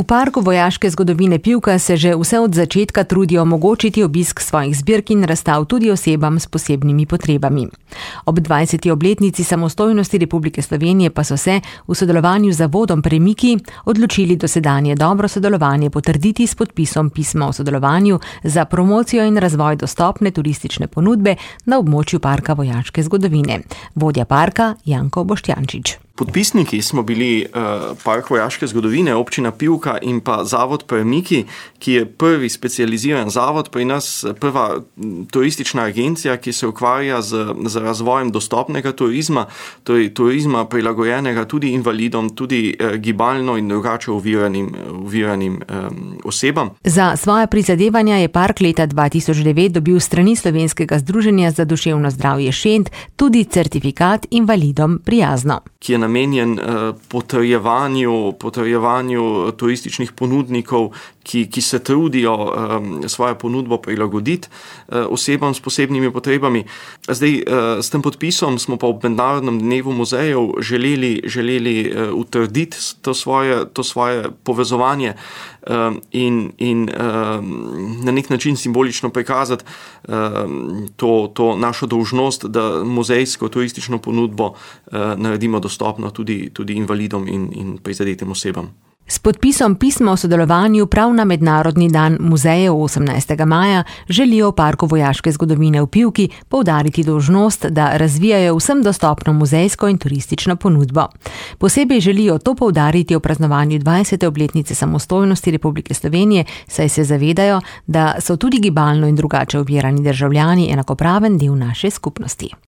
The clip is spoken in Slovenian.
V Parku vojaške zgodovine Pivka se že vse od začetka trudijo omogočiti obisk svojih zbirk in razstav tudi osebam s posebnimi potrebami. Ob 20. obletnici samostojnosti Republike Slovenije pa so se v sodelovanju z zavodom Premiki odločili dosedanje dobro sodelovanje potrditi s podpisom pisma o sodelovanju za promocijo in razvoj dostopne turistične ponudbe na območju Parka vojaške zgodovine. Vodja parka Janko Boštjančič. Podpisniki smo bili Park vojaške zgodovine, občina Pivka in pa zavod Premiki, ki je prvi specializiran zavod, pri nas prva turistična agencija, ki se ukvarja z razvojem dostopnega turizma, torej turizma prilagojenega tudi invalidom, tudi gibalno in drugače oviranim osebam. Za svoje prizadevanja je park leta 2009 dobil s strani Slovenskega združenja za duševno zdravje Šent tudi certifikat invalidom prijazno, ki je namenjen potrjevanju turističnih ponudnikov, ki se trudijo svojo ponudbo prilagoditi osebam s posebnimi potrebami. Zdaj, s tem podpisom smo pa ob Mednarodnem dnevu muzejev želeli utrditi to svoje povezovanje in na nek način simbolično prikazati to našo dolžnost, da muzejsko turistično ponudbo naredimo dostopno tudi invalidom in prizadetim osebam. S podpisom pisma o sodelovanju prav na Mednarodni dan muzejev 18. maja želijo v Parku vojaške zgodovine v Pivki poudariti dolžnost, da razvijajo vsem dostopno muzejsko in turistično ponudbo. Posebej želijo to poudariti v praznovanju 20. obletnice samostojnosti Republike Slovenije, saj se zavedajo, da so tudi gibalno in drugače ovirani državljani enakopraven del naše skupnosti.